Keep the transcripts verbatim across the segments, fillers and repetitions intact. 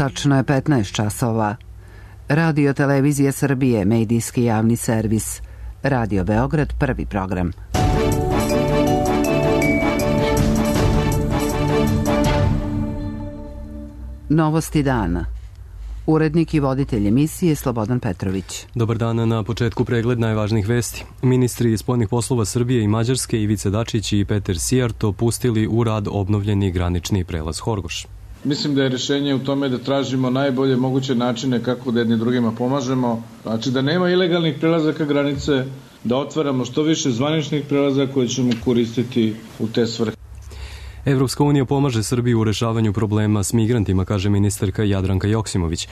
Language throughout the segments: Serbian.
Tačno je petnaest časova. Radio Televizija Srbije, medijski javni servis. Radio Beograd, prvi program. Novosti dana. Urednik i voditelj emisije Slobodan Petrović. Dobar dan, na početku pregled najvažnijih vesti. Ministri spoljnih poslova Srbije i Mađarske Ivica Dačić i Peter Sijarto pustili u rad obnovljeni granični prelaz Horgoš. Mislim da je rješenje u tome da tražimo najbolje moguće načine kako da jedni drugima pomažemo. Znači da nema ilegalnih prelazaka granice, da otvaramo što više zvaničnih prelaza koje ćemo koristiti u te svrhe. Evropska unija pomaže Srbiji u rešavanju problema s migrantima, kaže ministarka Jadranka Joksimović.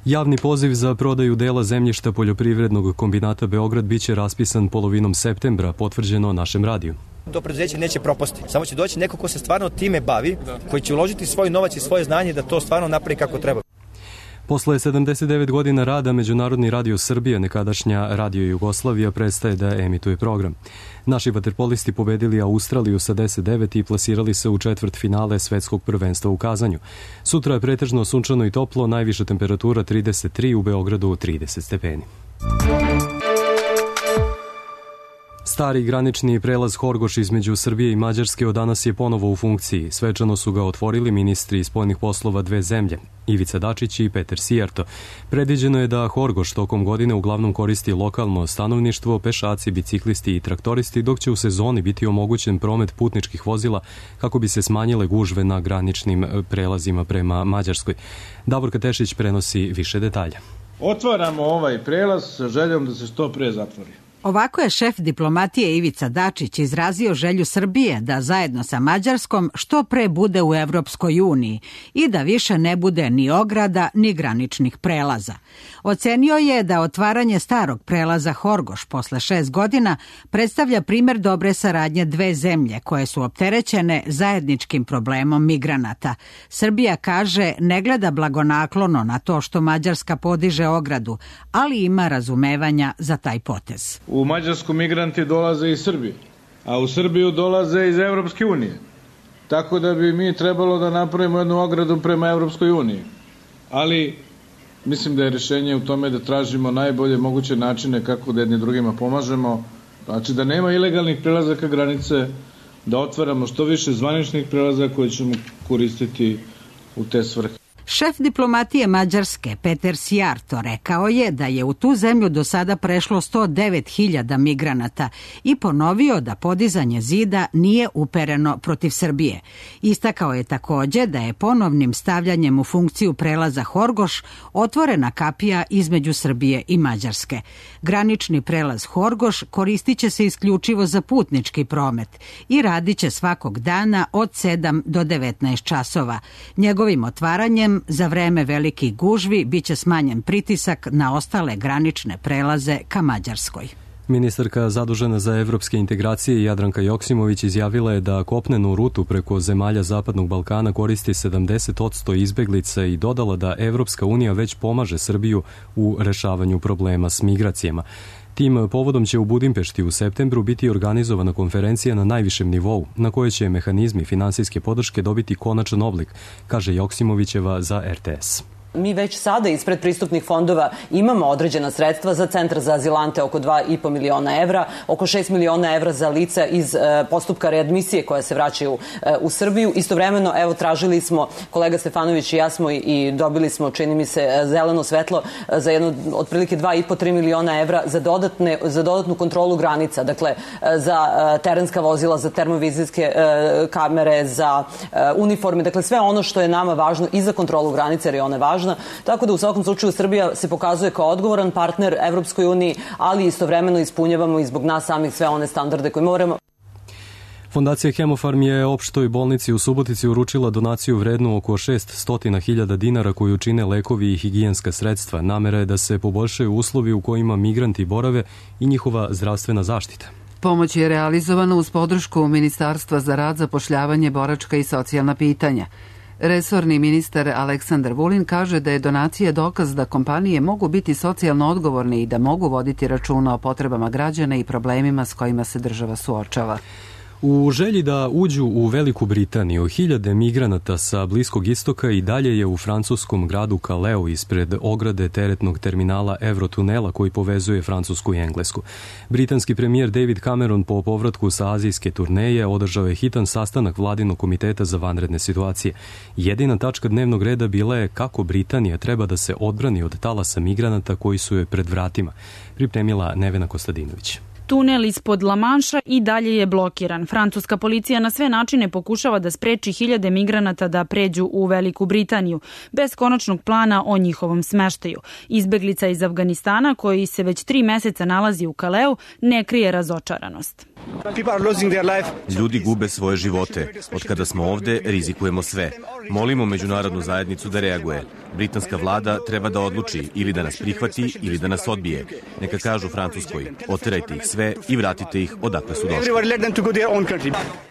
Javni poziv za prodaju dela zemljišta poljoprivrednog kombinata Beograd biće raspisan polovinom septembra, potvrđeno našem radiju. To preduzeće neće propasti, samo će doći neko ko se stvarno time bavi, koji će uložiti svoj novac i svoje znanje da to stvarno napravi kako treba. Posle sedamdeset devet godina rada Međunarodni radio Srbije, nekadašnja Radio Jugoslavija, prestaje da emituje program. Naši vaterpolisti pobedili Australiju sa deset devet i plasirali se u četvrt finale svetskog prvenstva u Kazanju. Sutra je pretežno sunčano i toplo, najviša temperatura trideset tri, u Beogradu trideset stepeni. Stari granični prelaz Horgoš između Srbije i Mađarske od danas je ponovo u funkciji. Svečano su ga otvorili ministri spoljnih poslova dve zemlje, Ivica Dačić i Peter Sijarto. Predviđeno je da Horgoš tokom godine uglavnom koristi lokalno stanovništvo, pešaci, biciklisti i traktoristi, dok će u sezoni biti omogućen promet putničkih vozila kako bi se smanjile gužve na graničnim prelazima prema Mađarskoj. Davorka Tešić prenosi više detalja. Otvaramo ovaj prelaz sa željom da se što pre zatvori. Ovako je šef diplomatije Ivica Dačić izrazio želju Srbije da zajedno sa Mađarskom što pre bude u Evropskoj uniji i da više ne bude ni ograda ni graničnih prelaza. Ocenio je da otvaranje starog prelaza Horgoš posle šest godina predstavlja primer dobre saradnje dve zemlje koje su opterećene zajedničkim problemom migranata. Srbija, kaže, ne gleda blagonaklono na to što Mađarska podiže ogradu, ali ima razumevanja za taj potez. U Mađarsku migranti dolaze iz Srbije, a u Srbiju dolaze iz Evropske unije. Tako da bi mi trebalo da napravimo jednu ogradu prema Evropskoj uniji. Ali mislim da je rješenje u tome da tražimo najbolje moguće načine kako da jedni drugima pomažemo. Znači da nema ilegalnih prelazaka granice, da otvaramo što više zvaničnih prelaza koje ćemo koristiti u te svrhe. Šef diplomatije Mađarske Peter Sijarto rekao je da je u tu zemlju do sada prešlo sto devet hiljada migranata i ponovio da podizanje zida nije upereno protiv Srbije. Istakao je takođe da je ponovnim stavljanjem u funkciju prelaza Horgoš otvorena kapija između Srbije i Mađarske. Granični prelaz Horgoš koristit će se isključivo za putnički promet i radit će svakog dana od sedam do devetnaest časova. Njegovim otvaranjem za vreme velikih gužvi biće smanjen pritisak na ostale granične prelaze ka Mađarskoj. Ministarka zadužena za evropske integracije Jadranka Joksimović izjavila je da kopnenu rutu preko zemalja Zapadnog Balkana koristi sedamdeset posto izbeglica i dodala da Evropska unija već pomaže Srbiju u rešavanju problema s migracijama. Tim povodom će u Budimpešti u septembru biti organizovana konferencija na najvišem nivou, na kojoj će mehanizmi finansijske podrške dobiti konačan oblik, kaže Joksimovićeva za R T S. Mi već sada ispred pristupnih fondova imamo određena sredstva za Centar za azilante, oko dva i po miliona evra, oko šest miliona evra za lica iz e, postupka readmisije koja se vraćaju e, u Srbiju. Istovremeno, evo, tražili smo, kolega Stefanović i ja smo i, i dobili smo, čini mi se, zeleno svetlo e, za jedno, otprilike dva i po do tri miliona evra za, dodatne, za dodatnu kontrolu granica, dakle, e, za e, terenska vozila, za termovizijske e, kamere, za e, uniforme, dakle, sve ono što je nama važno i za kontrolu granice, jer je ona važna. Tako da u svakom slučaju Srbija se pokazuje kao odgovoran partner Evropskoj uniji, ali istovremeno ispunjavamo i zbog nas samih sve one standarde koje moramo. Fondacija Hemofarm je opštoj bolnici u Subotici uručila donaciju vrednu oko šest hiljada dinara koju čine lekovi i higijenska sredstva. Namera je da se poboljšaju uslovi u kojima migranti borave i njihova zdravstvena zaštita. Pomoć je realizovana uz podršku Ministarstva za rad, zapošljavanje, boračka i socijalna pitanja. Resorni ministar Aleksandar Vulin kaže da je donacija dokaz da kompanije mogu biti socijalno odgovorne i da mogu voditi računa o potrebama građana i problemima s kojima se država suočava. U želji da uđu u Veliku Britaniju, hiljade migranata sa Bliskog istoka i dalje je u francuskom gradu Calais ispred ograde teretnog terminala Eurotunela koji povezuje Francusku i Englesku. Britanski premijer David Cameron po povratku sa azijske turneje održao je hitan sastanak vladinog komiteta za vanredne situacije. Jedina tačka dnevnog reda bila je kako Britanija treba da se odbrani od talasa migranata koji su joj pred vratima, pripremila Nevena Kostadinović. Tunel ispod La Manša i dalje je blokiran. Francuska policija na sve načine pokušava da spreči hiljade migranata da pređu u Veliku Britaniju, bez konačnog plana o njihovom smeštaju. Izbeglica iz Afganistana, koji se već tri meseca nalazi u Kaleu, ne krije razočaranost. Ljudi gube svoje živote. Od kada smo ovde, rizikujemo sve. Molimo međunarodnu zajednicu da reaguje. Britanska vlada treba da odluči ili da nas prihvati ili da nas odbije. Neka kažu Francuskoj, oterajte ih sve i vratite ih odakle su došli.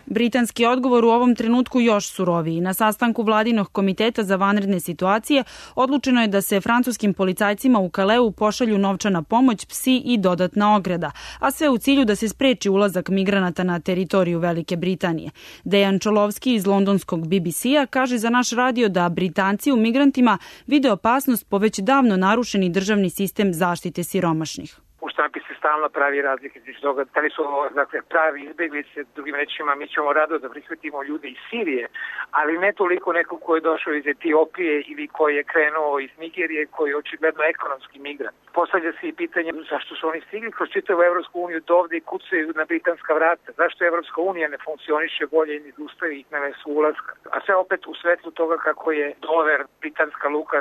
Britanski odgovor u ovom trenutku još suroviji. Na sastanku vladinog komiteta za vanredne situacije odlučeno je da se francuskim policajcima u Kaleu pošalju novčana pomoć, psi i dodatna ograda, a sve u cilju da se spreči ulazak migranata na teritoriju Velike Britanije. Dejan Čolovski iz londonskog B B C-a kaže za naš radio da Britanci u migrantima vide opasnost po već davno narušeni državni sistem zaštite siromašnih. U štampi se stalno pravi razlike između toga da li su ovo, dakle, pravi izbeglice, drugim rečima mi ćemo rado da prihvatimo ljude iz Sirije, ali ne toliko nekog ko je došao iz Etiopije ili koji je krenuo iz Nigerije, koji je očigledno ekonomski migrant. Postavlja se i pitanje zašto su oni stigli kroz čitavu Evropsku uniju do ovde i kucaju na britanska vrata. Zašto Evropska unija ne funkcioniše bolje i ne ustavi ih na mesu ulaska. A sve opet u svetlu toga kako je Dover, britanska luka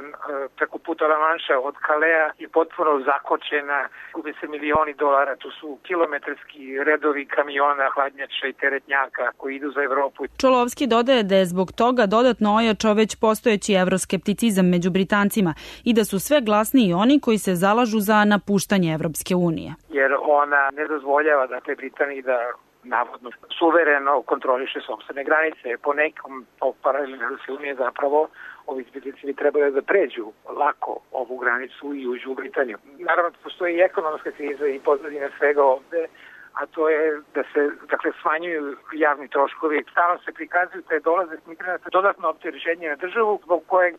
preko puta La Manša od Kalea je potpuno zakočena, gube se milioni dolara, tu su kilometarski redovi kamiona, hladnjača i teretnjaka koji idu za Evropu. Čolovski dodaje da je zbog toga dodatno ojačao već postojeći evroskepticizam među Britancima i da su sve glasniji oni koji se zalažu za napuštanje Evropske unije. Jer ona ne dozvoljava, dakle, Britaniji da navodno suvereno kontroliše sopstvene granice. Po nekom paralelu Evropske unije zapravo ovi izbjeglice bi trebali da pređu lako ovu granicu i uđu u Britaniju. Naravno, postoji i ekonomska kriza i pozadina svega ovde, a to je da se, dakle, smanjuju javni troškovi. Stalno se prikazuju te dolaze migranata dodatno opterećenje na državu zbog kojeg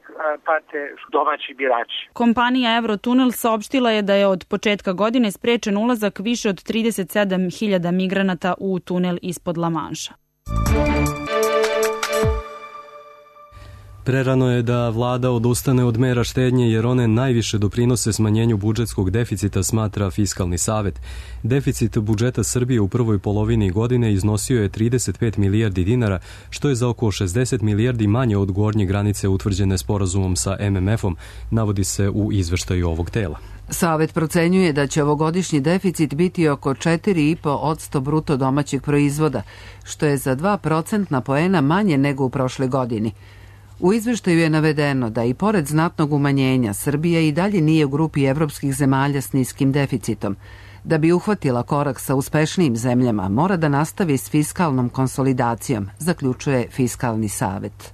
pate domaći birači. Kompanija Eurotunel saopštila je da je od početka godine sprečen ulazak više od trideset sedam hiljada migranata u tunel ispod La Manša. Prerano je da vlada odustane od mera štednje jer one najviše doprinose smanjenju budžetskog deficita, smatra Fiskalni savet. Deficit budžeta Srbije u prvoj polovini godine iznosio je trideset pet milijardi dinara, što je za oko šezdeset milijardi manje od gornje granice utvrđene sporazumom sa M M F-om, navodi se u izveštaju ovog tela. Savet procenjuje da će ovogodišnji deficit biti oko četiri i po posto bruto domaćeg proizvoda, što je za dva procentna poena manje nego u prošle godini. U izveštaju je navedeno da i pored znatnog umanjenja Srbija i dalje nije u grupi evropskih zemalja s niskim deficitom. Da bi uhvatila korak sa uspešnijim zemljama, mora da nastavi s fiskalnom konsolidacijom, zaključuje Fiskalni savet.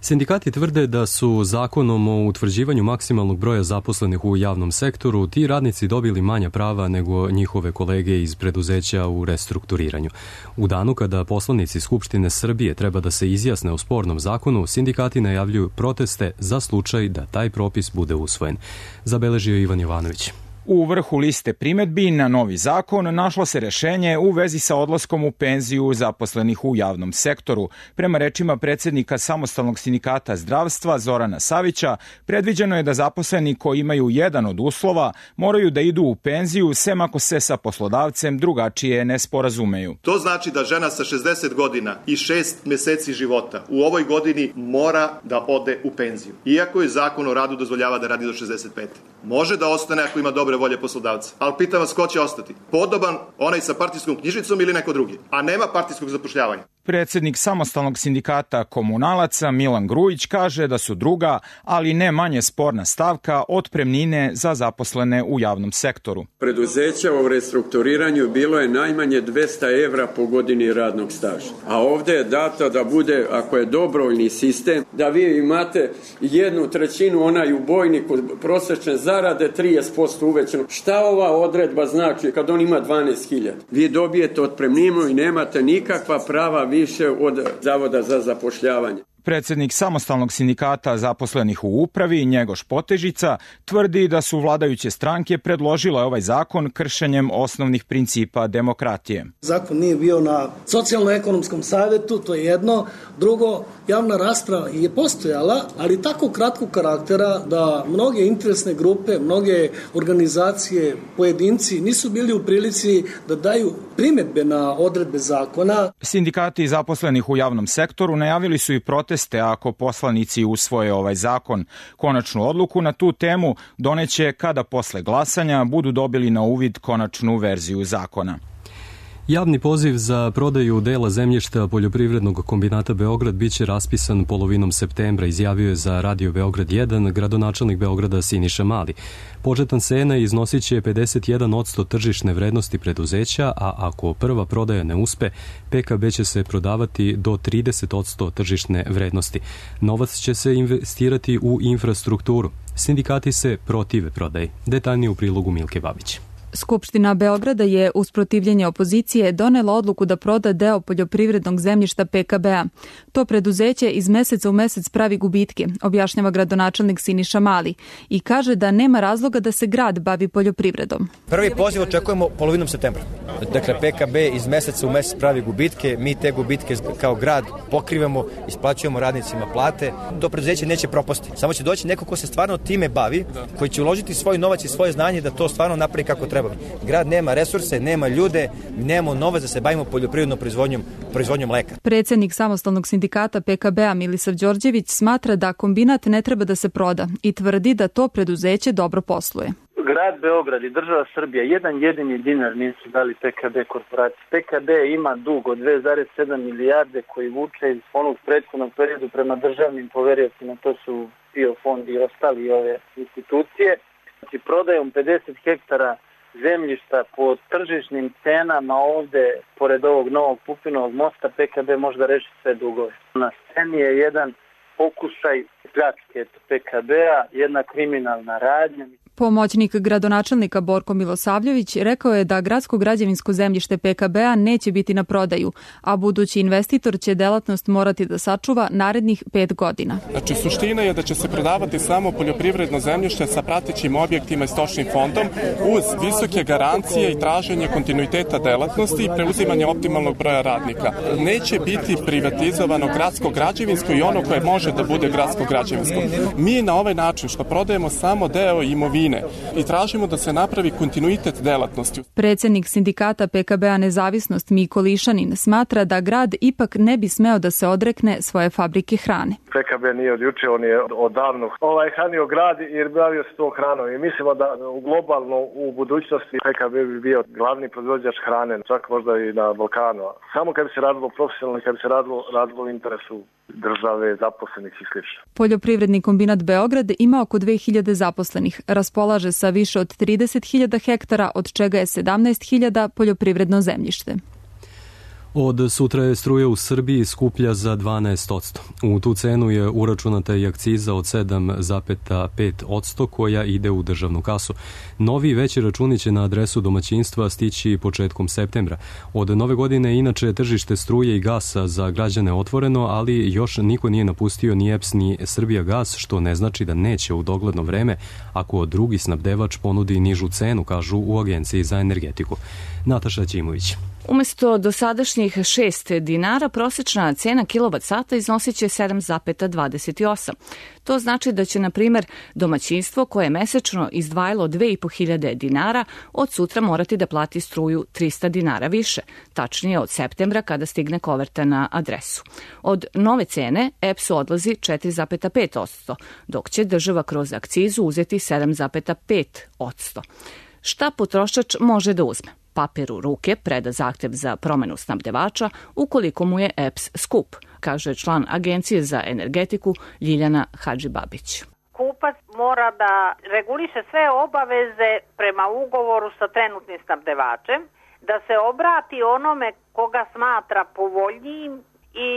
Sindikati tvrde da su zakonom o utvrđivanju maksimalnog broja zaposlenih u javnom sektoru ti radnici dobili manja prava nego njihove kolege iz preduzeća u restrukturiranju. U danu kada poslanici Skupštine Srbije treba da se izjasne o spornom zakonu, sindikati najavljuju proteste za slučaj da taj propis bude usvojen. Zabeležio Ivan Jovanović. U vrhu liste primedbi na novi zakon našlo se rešenje u vezi sa odlaskom u penziju zaposlenih u javnom sektoru. Prema rečima predsednika Samostalnog sindikata zdravstva Zorana Savića, predviđeno je da zaposleni koji imaju jedan od uslova moraju da idu u penziju sem ako se sa poslodavcem drugačije ne sporazumeju. To znači da žena sa šezdeset godina i šest meseci života u ovoj godini mora da ode u penziju. Iako je zakon o radu dozvoljava da radi do šezdeset pete. Može da ostane ako ima dobre volje poslodavca. Ali pitam vas ko će ostati? Podoban, onaj sa partijskom knjižicom ili neko drugi? A nema partijskog zapošljavanja. Predsednik samostalnog sindikata komunalaca Milan Grujić kaže da su druga, ali ne manje sporna stavka otpremnine za zaposlene u javnom sektoru. Preduzeća u restrukturiranju bilo je najmanje dvesta evra po godini radnog staža. A ovde je dato da bude, ako je dobrovoljni sistem, da vi imate jednu trećinu onaj u bojniku prosečne zarade trideset posto uvećano. Šta ova odredba znači kad on ima dvanaest hiljada? Vi dobijete otpremninu i nemate nikakva prava više od Zavoda za zapošljavanje. Predsednik samostalnog sindikata zaposlenih u upravi, Njegoš Potežica, tvrdi da su vladajuće stranke predložile ovaj zakon kršenjem osnovnih principa demokratije. Zakon nije bio na socijalno-ekonomskom savjetu, to je jedno. Drugo, javna rasprava je postojala, ali tako kratkog karaktera da mnoge interesne grupe, mnoge organizacije, pojedinci nisu bili u prilici da daju primedbe na odredbe zakona. Sindikati zaposlenih u javnom sektoru najavili su i proteste ako poslanici usvoje ovaj zakon. Konačnu odluku na tu temu doneće kada posle glasanja budu dobili na uvid konačnu verziju zakona. Javni poziv za prodaju dela zemljišta Poljoprivrednog kombinata Beograd biće raspisan polovinom septembra, izjavio je za Radio Beograd jedan gradonačelnik Beograda Siniša Mali. Početna cena iznosit će pedeset jedan posto tržišne vrednosti preduzeća, a ako prva prodaja ne uspe, P K B će se prodavati do trideset posto tržišne vrednosti. Novac će se investirati u infrastrukturu. Sindikati se protive prodaji. Detaljnije u prilogu Milke Babić. Skupština Beograda je uz protivljenje opozicije donela odluku da proda deo poljoprivrednog zemljišta P K B-a. To preduzeće iz meseca u mesec pravi gubitke, objašnjava gradonačelnik Siniša Mali i kaže da nema razloga da se grad bavi poljoprivredom. Prvi poziv očekujemo polovinom septembra. Dakle, P K B iz meseca u mesec pravi gubitke, mi te gubitke kao grad pokrivamo, isplaćujemo radnicima plate. To preduzeće neće propasti. Samo će doći neko ko se stvarno time bavi, koji će uložiti svoj novac i svoje znanje da to stvarno napravi kako treba. Grad nema resurse, nema ljude, nema novac da se bavimo poljoprivrednom proizvodnjom, proizvodnjom mleka. Predsednik samostalnog sindikata P K B-a Milisav Đorđević smatra da kombinat ne treba da se proda i tvrdi da to preduzeće dobro posluje. Grad Beograd i država Srbija jedan jedini dinar nisu dali P K B korporaciji. P K B ima dug od dve zarez sedam milijarde koji vuče iz onog prethodnog periodu prema državnim poveriocima, to su P I O fond i ostali ove institucije. Znači, prodajom pedeset hektara zemljišta po tržišnim cenama ovde, pored ovog novog Pupinovog mosta, P K B možda reši sve dugove. Na sceni je jedan pokušaj pljačke P K B-a, jedna kriminalna radnja. Pomoćnik gradonačelnika Borko Milosavljević rekao je da gradsko građevinsko zemljište P K B-a neće biti na prodaju, a budući investitor će delatnost morati da sačuva narednih pet godina. Znači, suština je da će se prodavati samo poljoprivredno zemljište sa pratećim objektima i stočnim fondom uz visoke garancije i traženje kontinuiteta delatnosti i preuzimanje optimalnog broja radnika. Neće biti privatizovano gradsko građevinsko i ono koje može da bude gradsko građevinsko. Mi na ovaj način što prodajemo samo deo imovine i tražimo da se napravi kontinuitet delatnosti. Predsednik sindikata P K B-a Nezavisnost Miko Lišanin smatra da grad ipak ne bi smeo da se odrekne svoje fabrike hrane. P K B nije od juče, on je odavno ovaj hranio grad i bavio se tom hranom i mislimo da globalno u budućnosti P K B bi bio glavni proizvođač hrane, čak možda i na Balkanu. Samo kad bi se radilo profesionalno, kad bi se radilo, radilo u interesu države, zaposlenih i slično. Poljoprivredni kombinat Beograd ima oko dve hiljade zaposlenih, raspolaže sa više od trideset hiljada hektara, od čega je sedamnaest hiljada poljoprivredno zemljište. Od sutra je struja u Srbiji skuplja za dvanaest posto. U tu cenu je uračunata i akciza od sedam zarez pet posto koja ide u državnu kasu. Novi veći računi će na adresu domaćinstva stići početkom septembra. Od nove godine inače tržište struje i gasa za građane otvoreno, ali još niko nije napustio ni E P S ni Srbijagas, što ne znači da neće u dogledno vreme ako drugi snabdevač ponudi nižu cenu, kažu u Agenciji za energetiku. Nataša Ćimović. Umesto dosadašnjih šest dinara, prosečna cena kilovat sata iznosit će sedam zarez dvadeset osam. To znači da će, na primer, domaćinstvo koje je mesečno izdvajalo dve i po hiljade dinara od sutra morati da plati struju trista dinara više, tačnije od septembra kada stigne koverta na adresu. Od nove cene E P S-u odlazi četiri zarez pet posto, dok će država kroz akcizu uzeti sedam zarez pet posto. Šta potrošač može da uzme? papir u ruke preda zahtev za promenu snabdevača ukoliko mu je E P S skup, kaže član Agencije za energetiku Ljiljana Hadžibabić. Kupac mora da reguliše sve obaveze prema ugovoru sa trenutnim snabdevačem, da se obrati onome koga smatra povoljnijim i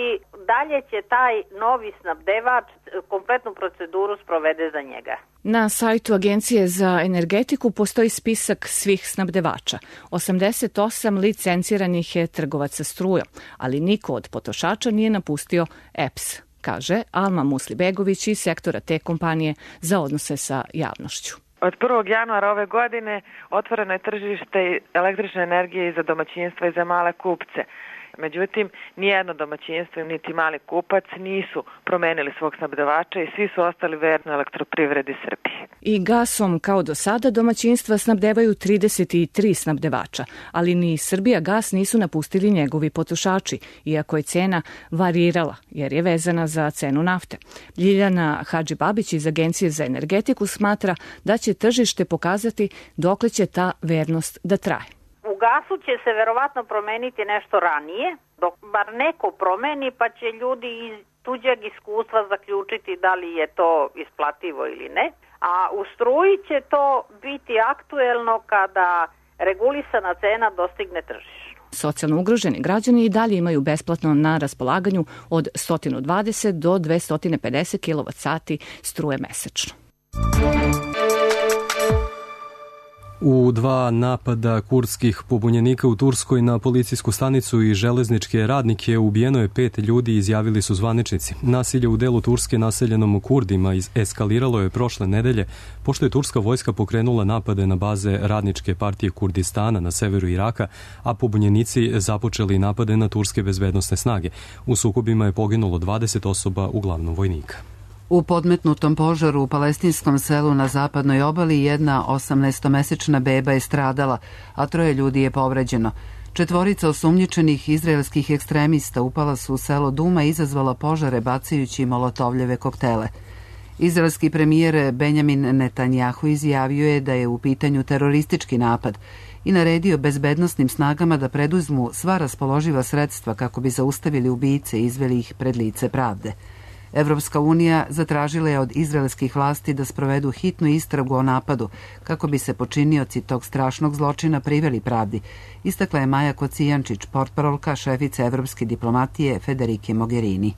dalje će taj novi snabdevač kompletnu proceduru sprovede za njega. Na sajtu Agencije za energetiku postoji spisak svih snabdevača. osamdeset osam licenciranih je trgovaca strujom, ali niko od potrošača nije napustio E P S, kaže Alma Muslibegović iz sektora te kompanije za odnose sa javnošću. Od prvog januara ove godine otvoreno je tržište električne energije i za domaćinstva i za male kupce. Međutim, nijedno domaćinstvo niti mali kupac nisu promenili svog snabdevača i svi su ostali verni elektroprivredi Srbije. I gasom, kao do sada, domaćinstva snabdevaju trideset tri snabdevača, ali ni Srbija gas nisu napustili njegovi potrošači, iako je cena varirala, jer je vezana za cenu nafte. Ljiljana Hadžibabić iz Agencije za energetiku smatra da će tržište pokazati dokle će ta vernost da traje. U gasu će se verovatno promeniti nešto ranije, dok bar neko promeni pa će ljudi iz tuđeg iskustva zaključiti da li je to isplativo ili ne, a u struji će to biti aktuelno kada regulisana cena dostigne tržišnu. Socijalno ugroženi građani i dalje imaju besplatno na raspolaganju od sto dvadeset do dvesta pedeset kilovat sati struje mesečno. U dva napada kurdskih pobunjenika u Turskoj na policijsku stanicu i železničke radnike ubijeno je pet ljudi, izjavili su zvaničnici. Nasilje u delu Turske naseljenom Kurdima eskaliralo je prošle nedelje, pošto je turska vojska pokrenula napade na baze radničke partije Kurdistana na severu Iraka, a pobunjenici započeli napade na turske bezbednosne snage. U sukobima je poginulo dvadeset osoba, uglavnom vojnika. U podmetnutom požaru u palestinskom selu na zapadnoj obali jedna osamnaestomesečna beba je stradala, a troje ljudi je povređeno. Četvorica osumnjičenih izraelskih ekstremista upala su u selo Duma i izazvala požare bacajući molotovljeve koktele. Izraelski premijer Benjamin Netanjahu izjavio je da je u pitanju teroristički napad i naredio bezbednosnim snagama da preduzmu sva raspoloživa sredstva kako bi zaustavili ubice i izveli ih pred lice pravde. Evropska unija zatražila je od izraelskih vlasti da sprovedu hitnu istragu o napadu kako bi se počinioci tog strašnog zločina priveli pravdi, istakla je Maja Kocijančić, portparolka šefice evropske diplomatije Federike Mogherini.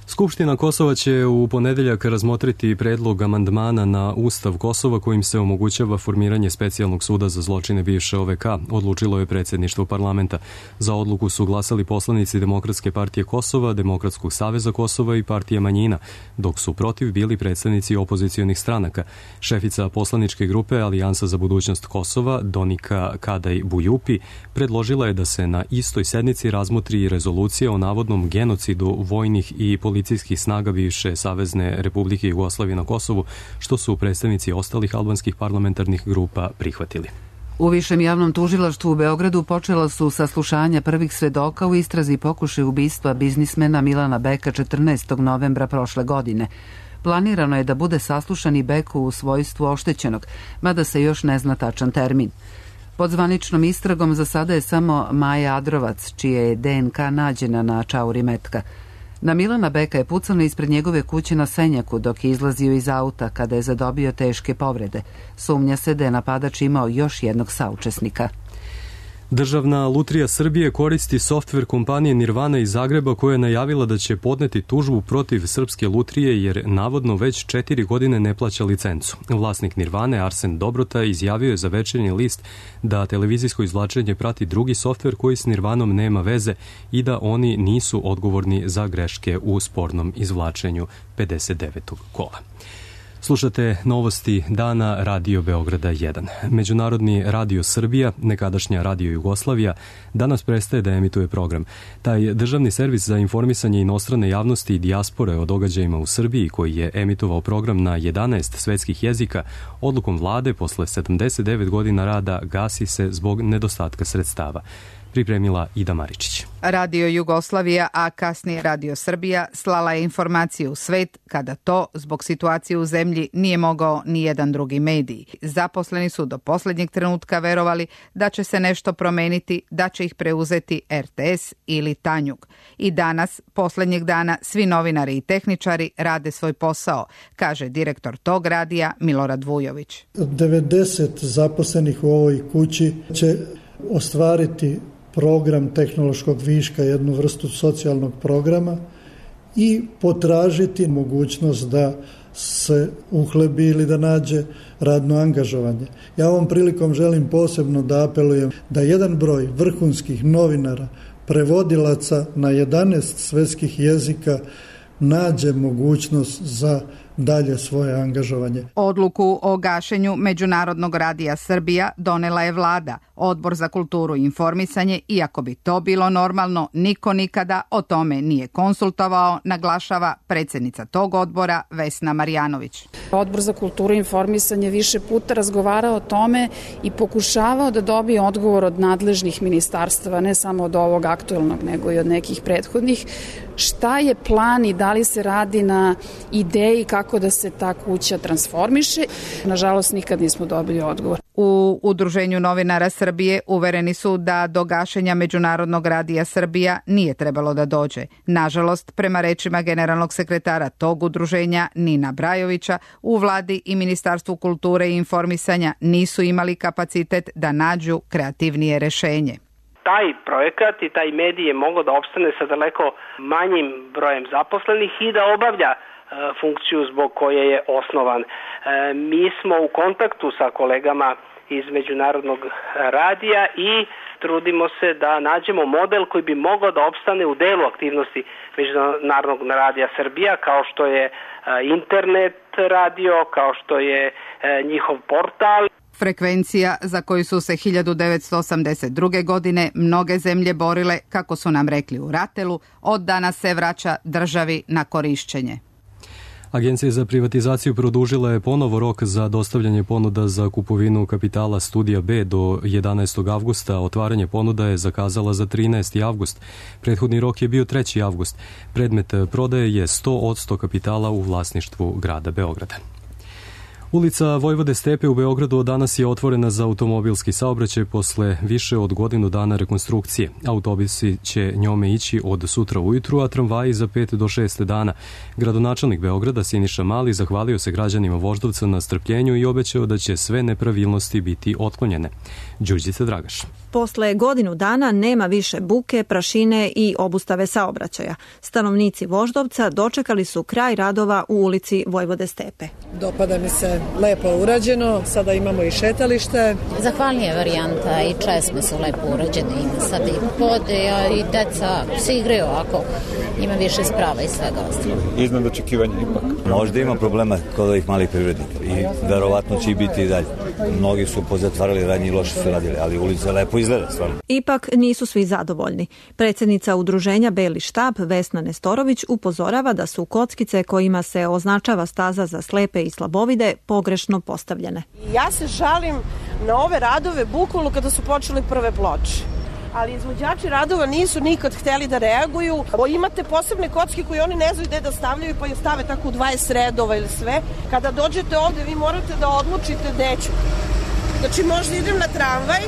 Skupština Kosova će u ponedeljak razmotriti predlog amandmana na Ustav Kosova kojim se omogućava formiranje specijalnog suda za zločine bivše O V K, odlučilo je predsjedništvo parlamenta. Za odluku su glasali poslanici Demokratske partije Kosova, Demokratskog saveza Kosova i partije manjina, dok su protiv bili predstavnici opozicionih stranaka. Šefica poslaničke grupe Alijansa za budućnost Kosova, Donika Kadaj Bujupi, predložila je da se na istoj sednici razmotri rezolucija o navodnom genocidu vojnih i policijskih snaga bivše Savezne Republike Jugoslavije na Kosovu, što su predstavnici ostalih albanskih parlamentarnih grupa prihvatili. U Višem javnom tužilaštvu u Beogradu počela su saslušanja prvih svedoka u istrazi pokušaja ubistva biznismena Milana Beka četrnaestog novembra prošle godine. Planirano je da bude saslušan i Bek u svojstvu oštećenog, mada se još ne zna tačan termin. Pod zvaničnom istragom za sada je samo Maja Adrovac, čije je D N K nađena na čauri metka. Na Milana Beka je pucano ispred njegove kuće na Senjaku dok je izlazio iz auta kada je zadobio teške povrede. Sumnja se da je napadač imao još jednog saučesnika. Državna lutrija Srbije koristi softver kompanije Nirvana iz Zagreba koja je najavila da će podneti tužbu protiv Srpske lutrije jer navodno već četiri godine ne plaća licencu. Vlasnik Nirvane, Arsen Dobrota, izjavio je za Večernji list da televizijsko izvlačenje prati drugi softver koji s Nirvanom nema veze i da oni nisu odgovorni za greške u spornom izvlačenju pedeset devetog kola. Slušate novosti dana Radio Beograda jedan. Međunarodni Radio Srbija, nekadašnja Radio Jugoslavija, danas prestaje da emituje program. Taj državni servis za informisanje inostrane javnosti i dijaspore o događajima u Srbiji, koji je emitovao program na jedanaest svetskih jezika, odlukom vlade posle sedamdeset devet godina rada gasi se zbog nedostatka sredstava. pripremila Ida Maričić. Radio Jugoslavija, a kasnije Radio Srbija slala je informaciju u svet kada to, zbog situacije u zemlji, nije mogao ni jedan drugi medij. Zaposleni su do posljednjeg trenutka verovali da će se nešto promeniti, da će ih preuzeti R T S ili Tanjug. I danas, posljednjeg dana, svi novinari i tehničari rade svoj posao, kaže direktor tog radija Milorad Vujović. devedeset zaposlenih u ovoj kući će ostvariti program tehnološkog viška, jednu vrstu socijalnog programa i potražiti mogućnost da se uhlebi ili da nađe radno angažovanje. Ja ovom prilikom želim posebno da apelujem da jedan broj vrhunskih novinara, prevodilaca na jedanaest svetskih jezika nađe mogućnost za dalje svoje angažovanje. Odluku o gašenju Međunarodnog radija Srbija donela je vlada. Odbor za kulturu i informisanje, iako bi to bilo normalno, niko nikada o tome nije konsultovao, naglašava predsjednica tog odbora Vesna Marjanović. Odbor za kulturu i informisanje više puta razgovarao o tome i pokušavao da dobije odgovor od nadležnih ministarstava, ne samo od ovog aktualnog, nego i od nekih prethodnih. Šta je plan i da li se radi na ideji kako da se ta kuća transformiše? Nažalost, nikad nismo dobili odgovor. U Udruženju novinara Srbije uvereni su da do gašenja Međunarodnog radija Srbija nije trebalo da dođe. Nažalost, prema rečima generalnog sekretara tog udruženja Nina Brajovića, u vladi i Ministarstvu kulture i informisanja nisu imali kapacitet da nađu kreativnije rešenje. Taj projekat i taj medij je mogao da opstane sa daleko manjim brojem zaposlenih i da obavlja e, funkciju zbog koje je osnovan. E, mi smo u kontaktu sa kolegama iz Međunarodnog radija i trudimo se da nađemo model koji bi mogao da opstane u delu aktivnosti Međunarodnog radija Srbija, kao što je e, internet radio, kao što je e, njihov portal. Frekvencija za koju su se hiljadu devetsto osamdeset druge. godine mnoge zemlje borile, kako su nam rekli u Ratelu, od danas se vraća državi na korišćenje. Agencija za privatizaciju produžila je ponovo rok za dostavljanje ponuda za kupovinu kapitala Studija B do jedanaestog avgusta. Otvaranje ponuda je zakazala za trinaesti avgust. Prethodni rok je bio treći avgust. Predmet prodaje je sto posto kapitala u vlasništvu grada Beograda. Ulica Vojvode Stepe u Beogradu danas je otvorena za automobilski saobraćaj posle više od godinu dana rekonstrukcije. Autobusi će njome ići od sutra ujutru, a tramvaji za pet do šest dana. Gradonačelnik Beograda Siniša Mali zahvalio se građanima Voždovca na strpljenju i obećao da će sve nepravilnosti biti otklonjene. Đurđica Dragaš. Posle godinu dana nema više buke, prašine i obustave saobraćaja. Stanovnici Voždovca dočekali su kraj radova u ulici Vojvode Stepe. Dopada mi se, lepo urađeno, sada imamo i šetalište. Zahvalnija varijanta i česme su lepo urađene, ima sad i pode, a i deca se igraju ako ima više sprava i svega ostalo. Iznad očekivanja ipak. Možda ima problema kod ovih malih privrednika i verovatno će i biti i dalje. Mnogi su pozatvarali radnje i loše su radili, ali ulica lepo izgleda stvarno. Ipak nisu svi zadovoljni. Predsjednica udruženja Beli štab Vesna Nestorović upozorava da su kockice kojima se označava staza za slepe i slabovide pogrešno postavljene. Ja se žalim na ove radove bukvalno kada su počeli prve ploče. Ali izvođači radova nisu nikad hteli da reaguju. O, imate posebne kocke koje oni ne znaju gde da stavljaju pa je stave tako u dvadeset redova ili sve. Kada dođete ovde vi morate da odlučite gde ću. Znači možda idem na tramvaj,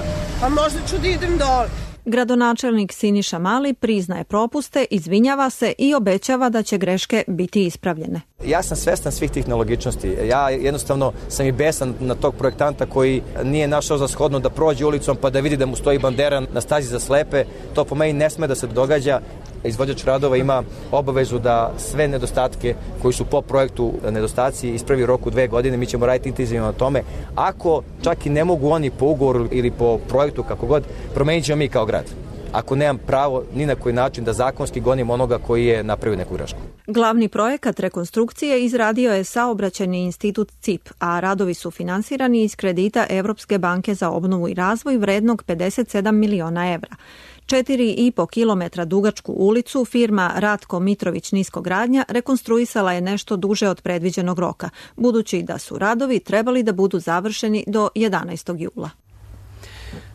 a možda ću da idem dole. Gradonačelnik Siniša Mali priznaje propuste, izvinjava se i obećava da će greške biti ispravljene. Ja sam svestan svih tih nelogičnosti. Ja jednostavno sam i besan na tog projektanta koji nije našao za shodno da prođe ulicom pa da vidi da mu stoji bandera na stazi za slepe. To po meni ne sme da se događa. Izvođač radova ima obavezu da sve nedostatke koji su po projektu nedostaci ispravi u roku dve godine. Mi ćemo raditi intenzivno na tome. Ako čak i ne mogu oni po ugovoru ili po projektu kako god, promenit ćemo mi kao grad. Ako nemam pravo ni na koji način da zakonski gonim onoga koji je napravio neku grešku. Glavni projekat rekonstrukcije izradio je Saobraćajni institut C I P, a radovi su finansirani iz kredita Evropske banke za obnovu i razvoj vrednog pedeset sedam miliona evra. Četiri i po kilometra dugačku ulicu firma Ratko Mitrović Niskogradnja rekonstruisala je nešto duže od predviđenog roka, budući da su radovi trebali da budu završeni do jedanaestog jula.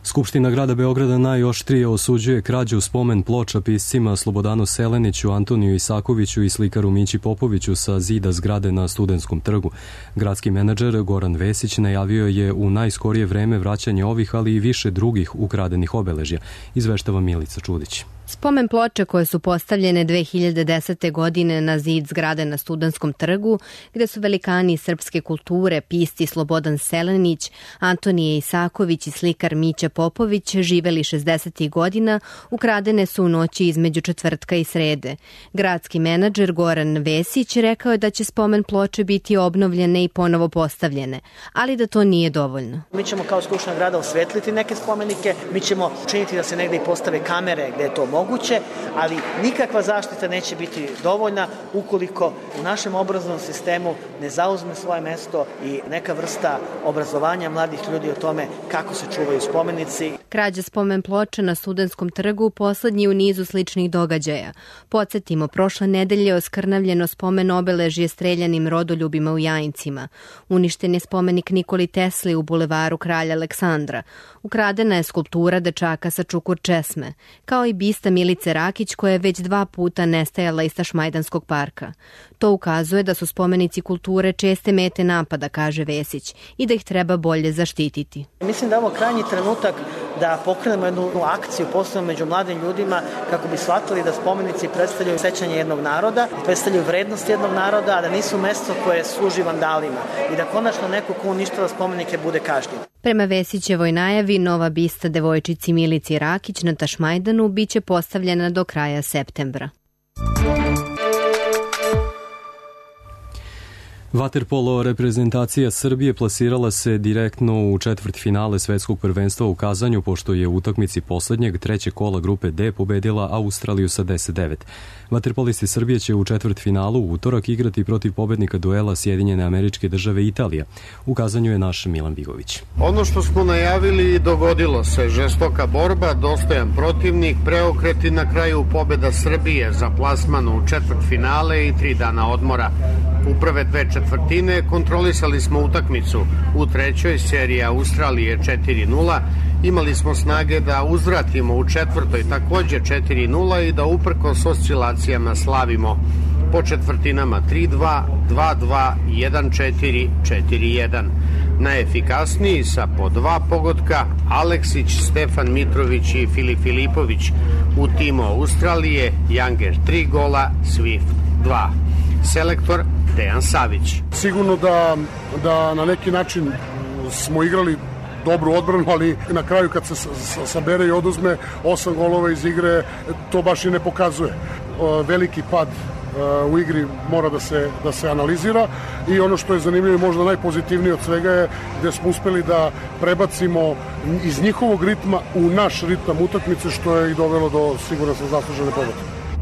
Skupština grada Beograda najoštrije osuđuje krađu spomen ploča piscima Slobodanu Seleniću, Antoniju Isakoviću i slikaru Mići Popoviću sa zida zgrade na Studentskom trgu. Gradski menadžer Goran Vesić najavio je u najskorije vreme vraćanje ovih, ali i više drugih ukradenih obeležja, izveštava Milica Čudić. Spomen ploče koje su postavljene dve hiljade desete. godine na zid zgrade na Studentskom trgu, gde su velikani srpske kulture, pisci Slobodan Selenić, Antonije Isaković i slikar Mića Popović živeli šezdesetih godina, ukradene su u noći između četvrtka i srede. Gradski menadžer Goran Vesić rekao je da će spomen ploče biti obnovljene i ponovo postavljene, ali da to nije dovoljno. Mi ćemo kao Skupština grada osvetliti neke spomenike, mi ćemo učiniti da se negde i postave kamere gde je to moguće. moguće, ali nikakva zaštita neće biti dovoljna ukoliko u našem obrazovnom sistemu ne zauzme svoje mesto i neka vrsta obrazovanja mladih ljudi o tome kako se čuvaju spomenici. Krađa spomen ploča na Studentskom trgu poslednji u nizu sličnih događaja. Podsjetimo, prošle nedelje oskrnavljeno spomen obeležje streljanim rodoljubima u Jajincima. Uništen je spomenik Nikoli Tesli u bulevaru Kralja Aleksandra. Ukradena je skulptura dečaka sa čukur česme, kao i bista Milice Rakić koja je već dva puta nestajala iz Tašmajdanskog parka. To ukazuje da su spomenici kulture česte mete napada, kaže Vesić, i da ih treba bolje zaštititi. Mislim da je ovo krajnji trenutak da pokrenemo jednu akciju posebno među mladim ljudima kako bi shvatili da spomenici predstavljaju sećanje jednog naroda, predstavljaju vrednost jednog naroda, a da nisu mesto koje služi vandalima i da konačno neko ko uništava spomenike bude kažnjen. Prema Vesićevoj najavi, nova bista devojčici Milici Rakić na Tašmajdanu biće postavljena do kraja septembra. Vaterpolo reprezentacija Srbije plasirala se direktno u četvrtfinale svetskog prvenstva u Kazanju, pošto je u utakmici poslednjeg trećeg kola grupe D pobedila Australiju sa deset devet. Vaterpolisti Srbije će u četvrtfinalu u utorak igrati protiv pobednika duela Sjedinjene Američke Države i Italija. U Kazanju je naš Milan Bigović. Ono što smo najavili dogodilo se. Žestoka borba, dostojan protivnik, preokreti, na kraju pobeda Srbije za plasman u četvrtfinale i tri dana odmora. U prve dve četvrtine kontrolisali smo utakmicu. U trećoj seriji Australije četiri nula imali smo snage da uzvratimo u četvrtoj takođe četiri nula i da uprkos oscilacijama slavimo. Po četvrtinama tri dva, dva dva, jedan četiri, četiri jedan. Najefikasniji sa po dva pogotka Aleksić, Stefan Mitrović i Filip Filipović. U timu Australije Janger tri gola, Swift dva. Selektor Dejan Savić. Sigurno da, da na neki način smo igrali dobru odbranu, ali na kraju kad se sabere i oduzme osam golova iz igre, to baš i ne pokazuje. Veliki pad u igri mora da se, da se analizira i ono što je zanimljivo i možda najpozitivnije od svega je gde smo uspeli da prebacimo iz njihovog ritma u naš ritam utakmice, što je i dovelo do, sigurno sam, zaslužene pobede.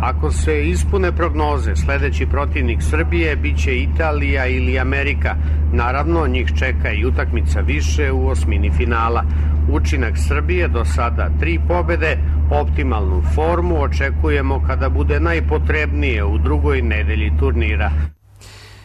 Ako se ispune prognoze, sledeći protivnik Srbije biće Italija ili Amerika. Naravno, njih čeka i utakmica više u osmini finala. Učinak Srbije do sada tri pobede, optimalnu formu očekujemo kada bude najpotrebnije u drugoj nedelji turnira.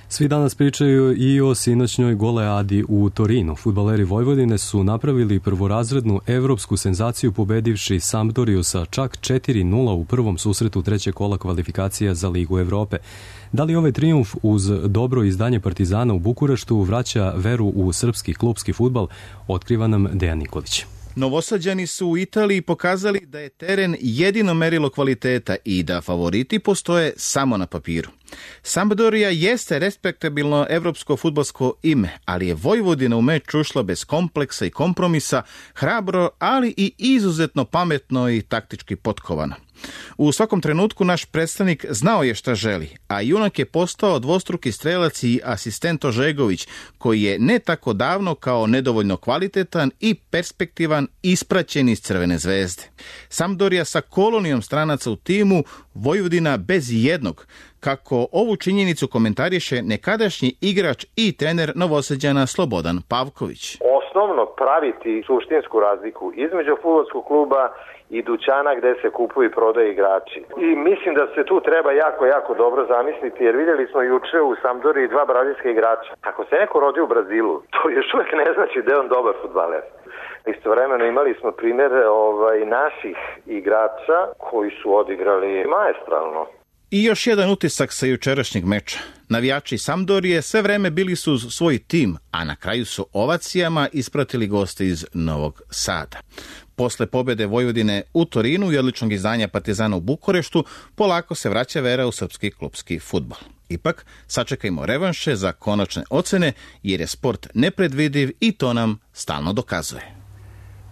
Svi danas pričaju i o sinoćnoj goleadi u Torinu. Fudbaleri Vojvodine su napravili prvorazrednu evropsku senzaciju pobedivši Sampdoriju sa čak četiri nula u prvom susretu trećeg kola kvalifikacija za Ligu Evrope. Da li ovaj trijumf uz dobro izdanje Partizana u Bukureštu vraća veru u srpski klupski fudbal, otkriva nam Dejan Nikolić. Novosađani su u Italiji pokazali da je teren jedino merilo kvaliteta i da favoriti postoje samo na papiru. Sampdoria jeste respektabilno evropsko fudbalsko ime, ali je Vojvodina u meč ušla bez kompleksa i kompromisa, hrabro, ali i izuzetno pametno i taktički potkovano. U svakom trenutku naš predstavnik znao je šta želi, a junak je postao dvostruki strelac i asistent Ožegović, koji je ne tako davno kao nedovoljno kvalitetan i perspektivan ispraćen iz Crvene zvezde. Sampdoria sa kolonijom stranaca u timu, Vojvodina bez jednog, kako ovu činjenicu komentariše nekadašnji igrač i trener Novosađana Slobodan Pavković. osnovno praviti suštinsku razliku između fudbalskog kluba i dućana gde se kupuju i prodaju igrači. I mislim da se tu treba jako, jako dobro zamisliti, jer vidjeli smo juče u Sampdoriji dva brazilska igrača. Ako se neko rodi u Brazilu, to još uvijek ne znači da je on dobar fudbaler. Istovremeno imali smo primjer ovaj, naših igrača koji su odigrali maestralno. I još jedan utisak sa jučerašnjeg meča. Navijači Sampdorije sve vreme bili su svoj tim, a na kraju su ovacijama ispratili goste iz Novog Sada. Posle pobjede Vojvodine u Torinu i odličnog izdanja Partizana u Bukureštu, polako se vraća vera u srpski klupski fudbal. Ipak, sačekajmo revanše za konačne ocene, jer je sport nepredvidiv i to nam stalno dokazuje.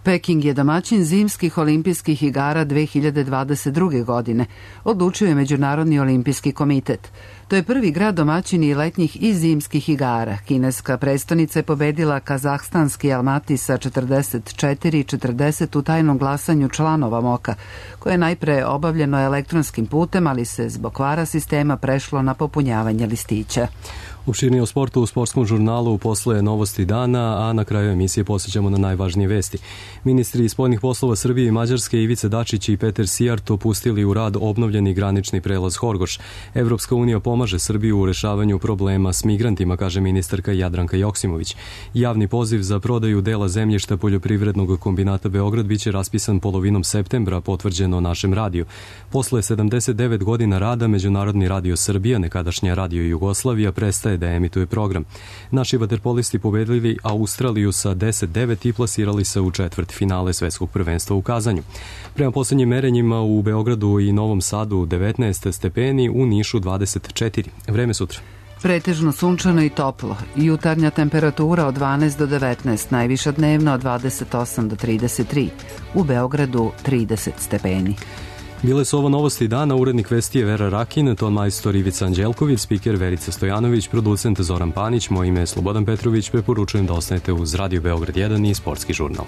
Peking je domaćin zimskih olimpijskih igara dve hiljade dvadeset druge. godine, odlučio je Međunarodni olimpijski komitet. To je prvi grad domaćin i letnjih i zimskih igara. Kineska prestonica je pobedila kazahstanski Almati sa četrdeset četiri četrdeset u tajnom glasanju članova Moka, koje je najpre obavljeno elektronskim putem, ali se zbog kvara sistema prešlo na popunjavanje listića. Opširnije o sportu u sportskom žurnalu posle novosti dana, a na kraju emisije posjećamo na najvažnije vesti. Ministri spoljnih poslova Srbije i Mađarske Ivica Dačić i Peter Sijarto pustili u rad obnovljeni granični prelaz Horgoš. Evropska unija pomaže Srbiju u rešavanju problema s migrantima, kaže ministarka Jadranka Joksimović. Javni poziv za prodaju dela zemljišta poljoprivrednog kombinata Beograd biće raspisan polovinom septembra, potvrđeno našem radiju. Posle sedamdeset devet godina rada Međunarodni radio Srbija, nekadašnja Radio Jugoslavija, prestaje da emituje program. Naši vaterpolisti pobedili Australiju sa deset devet i plasirali se u četvrt finale svetskog prvenstva u Kazanju. Prema posljednjim merenjima u Beogradu i Novom Sadu devetnaest stepeni, u Nišu dvadeset četiri. Vreme sutra. Pretežno sunčano i toplo. Jutarnja temperatura od dvanaest do devetnaest, najviša dnevna od dvadeset osam do trideset tri. U Beogradu trideset stepeni. Bile su ovo novosti dana, urednik vesti je Vera Rakin, ton majstor Ivica Anđelković, spiker Verica Stojanović, producent Zoran Panić, moje ime je Slobodan Petrović, preporučujem da ostanete uz Radio Beograd jedan i Sportski žurnal.